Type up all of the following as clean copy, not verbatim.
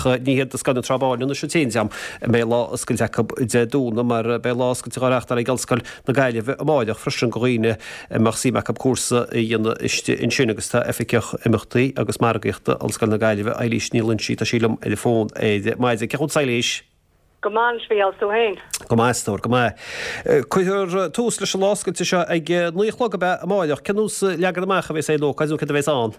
Ach ní hiad Scoil na Trá Báine anois an t-aon dream a mbeidh lá oscailte acu Dé Domhnaigh mar beidh lá oscailte á reáchtáil ag Ollscoil na Gaillimhe amáireach freisin do dhaoine a mbeadh suim acu cúrsa a dhéanamh istigh ansin agus tá Oifigeach Imeachtaí agus Margaíochta Ollscoil na Gaillimhe, Eilís Ní Loinsigh, tá sí liom ar an bhfón ar maidin. Cén chaoi a bhfuil Eilís? Go maith anois, a Mhícheáil, 's tú féin? Go maith, a stór, go maith. Cuirfear tús leis an lá oscailte seo ag 9 a chlog ab ea amáireach. Cén nós leagan amach a bheas ar an ócáid nó céard a bheas ann?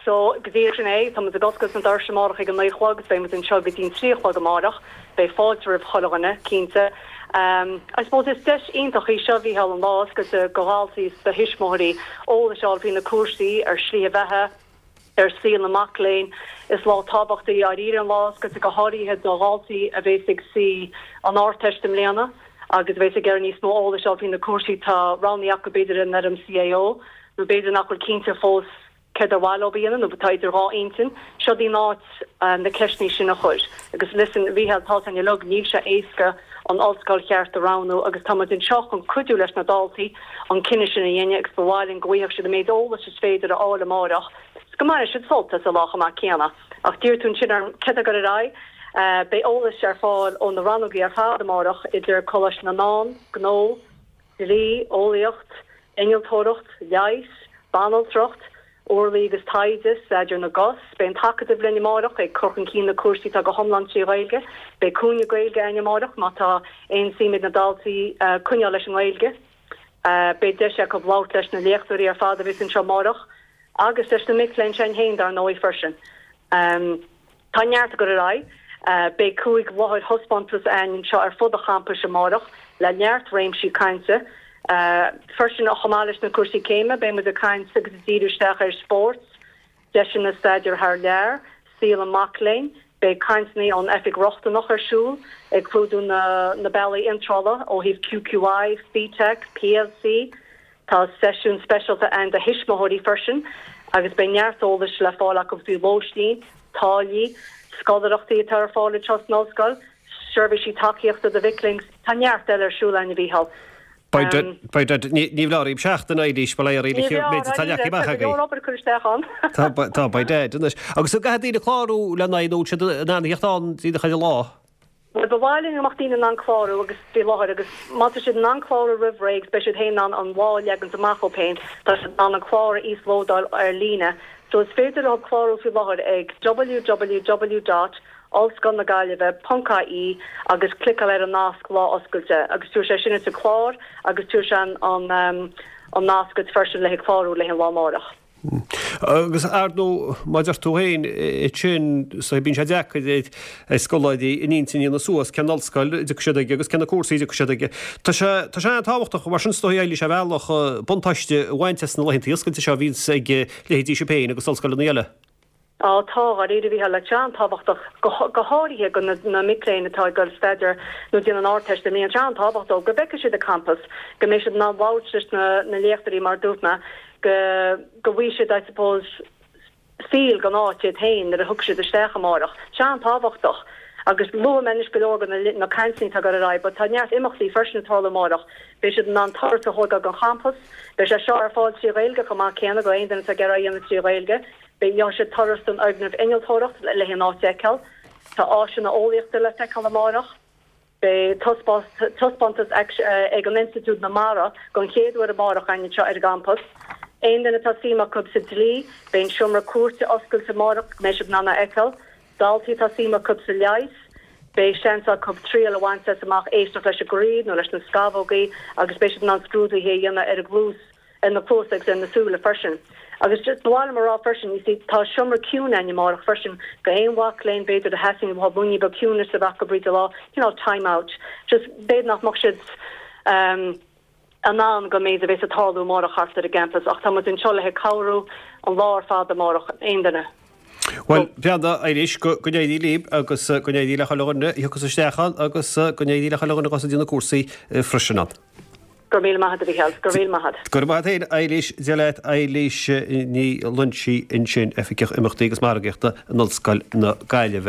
So, go díreach sin é. Tá muid ag oscailt na doirse amárach ag a 9 a chlog agus beidh muid anseo go dtí an 3 a chlog amárach. Beidh fáilte roimh chuile dhuine, cinnte. I suppose is deis iontach í seo, a Mhícheáil, an lá oscailte do dhaltaí is do thuismitheoirí eolas a fháil faoi na cúrsaí, ar shlíthe bheatha, ar saol na mac léinn. Is lá tábhachtach í dháiríre an lá oscailte, go háirithe do dhaltaí a bhéas ag suí an Ardteist i mbliana agus a bhéas ag iarraidh níos mó eolais a fháil faoi na cúrsaí atá roghnaithe acu, b'fhéidir in fhoirm CAO nó b'fhéidir nach bhfuil cinnte fós céard ar mhaith leo a dhéanamh nó atá idir dhá intinn. Seo í an áit na ceisteanna sin a chur. Agus listen, a Mhícheáil, tá a fhios againn uilig, níl sé éasca an ollscoil cheart a roghnú agus tá muid anseo chun cuidiú leis na daltaí an cinneadh sin a dhéanamh agus ba mhaith linn go bhfaigheadh siad an méid eolais is féidir a fháil amáireach is go mbainfidh siad sult as an lá chomh maith céanna. Ach d'iarr tú ansin orm céard atá ag dul ar aghaidh. Beidh eolas ar fáil ó na rannógaí ar fad amáireach idir Coláiste na nDán, Gnó, Dlí, Eolaíocht, Innealtóireacht, Leigheas, Banaltracht, Urlaí agus Taighde, Staidéar na gCos. Beidh an tAcadamh linn amáireach ag cur chun cinn na cúrsaí atá go hiomlán 3 Ghaeilge. Beidh cúinne Gaeilge againn amáireach má tá aon suim ag na daltaí coinneáil leis an nGaeilge. Beidh deis acu labhairt leis na léachtóirí ar fad a bheas anseo amáireach agus leis na mic léinn sin féin dar ndóigh freisin. Tá neart ag dul ar aghaidh. Beidh 5 láthair thaispeántais againn anseo ar fud an champais amárach le neart réimsí cainte. Freisin, chomh maith leis na cúrsaí céime, beidh muid ag caint agus ag díriú isteach ar spórt, deiseanna staidéir thar lear, saol an mac léinn. Beidh cainteanna ón Oifig Rochtanach ar siúl ag clúdú na bealaí iontrála ó thaobh QQI, FETAC, PLC. Tá seisiún speisialta ann do thuismitheoirí freisin agus beidh neart eolais le fáil acu faoi lóistín, táillí, scoláireachtaí atá ar fáil anseo san ollscoil, seirbhísí tacaíochta do mhic léinn. Tá neart eile ar siúl againn, a Mhícheáil. By dad, ní bhleá riamh seachtain, Eilís, bail ó Dhia oraibh, an méid atá leagtha amach agaibh. Tá go leor obair curtha isteach ann. Tá, tá, by dad, anois. Agus an gcaithfidh daoine clárú lena aghaidh nó bhfuil siad in ann a theacht ann díreach ar an lá? Bhuel, ba mhaith linn go mbeadh daoine in ann clárú agus faoi láthair agus má tá siad in ann clárú roimh ré agus beidh siad féin in ann an lá a leagant amach dóibh féin, tá siad in ann an clár a íoslódáil ar líne. So is féidir leo clárú faoi láthair ag www dot ollscoilnagaillimhe ponc ie agus cliceáil ar an nasc Lá Oscailte agus tabharfaidh sé sin duit an clár agus tabharfaidh sé an an nasc duit freisin le haghaidh clárú le haghaidh an lá amárach. Agus ar ndóigh, mar a deir tú féin, ansin, so bíonn sé deacair ar scoláirí a n-intinn a dhéanamh suas cén ollscoil a dtiocfaidh siad aige agus cé na cúrsaí a dtiocfaidh siad aige. Tá sé, tá sé an-tábhachtach mar sin is dóigh Eilís ar bhealach buntáiste a bhaint as na laethanta oscailte seo a bhíonns ag leithéidí sibh féin agus ollscoileanna eile. Á, tá, dháiríre, a Mhícheáil, tá sé an-tábhachtach, go háirithe do na mic léinn atá ag dul staidéar nó déanamh an Ardteist i mbliana, tá sé an-tábhachtach dóibh go bhfeicfidh siad an campas, go mbeidh siad in ann labhairt leis na léachtóirí mar a dúirt mé, go go bhfaighidh siad, I suppose, feel den áit iad féin nuair a thiocfaidh siad isteach amárach. Tá sé an-tábhachtach. Agus luaigh mé anois go leor de na cainteanna atá ag dul ar aghaidh, but tá neart imeachtaí freisin ag tarlú amárach. Beidh siad in ann turas a thógáil den champas. Beidh sé seo ar fáil 3 Ghaeilge chomh maith céanna do aon duine atá ag iarraidh é a dhéanamh 3 Ghaeilge. Beidh gheobhaidh siad turas den fhoirgneamh innealtóireacht le haghaidh an áit a fheiceáil. Tá áiseanna eolaíochta le feiceáil amárach. Beidh taispeántas ag an Institiúid na Mara don chéad uair amárach againn anseo ar an gcampas. Aon duine atá suim acu sa dlí, beidh an seomra cúirte oscailte amárach go mbeidh siad in ann é a fheiceáil. Daltaí atá suim acu sa leigheas, beidh seans acu triail a bhaint as amach éisteacht leis an gcroí nó leis na scamhógaí agus beidh siad in ann scrúduithe a dhéanamh ar a gcluas, ar na cluasa agus ar na súile freisin. Agus just ba mhaith liom a rá freisin, you see, tá seomra ciúin againn amárach freisin do aon mhac léinn b'fhéidir a theastaíonn uathu nóiméad beag ciúinis a bheith acu fríd an lá, cineál time out. Just b'fhéidir nach mbeadh siad ehm in ann don méid a bhéas ag tarlú amárach thart ar an gcampas ach tá muid anseo le haghaidh cabhrú an lá ar fad amárach, aon duine. Bhuel, Breanda, Eilís, go n-éirí libh agus go n-éirí le chuile dhuine a thiocfas isteach ann agus go n-éirí le chuile dhuine a ghabhfas ag déanamh cúrsaí freisin ann. Go raibh míle maith agat, a Mhícheáil. Go raibh míle maith agat. Go raibh maith agat féin, Eilís. Dia leat, Eilís Ní Loinsigh ansin, Oifigeach Imeachtaí agus Margaíochta in Ollscoil na Gaillimhe.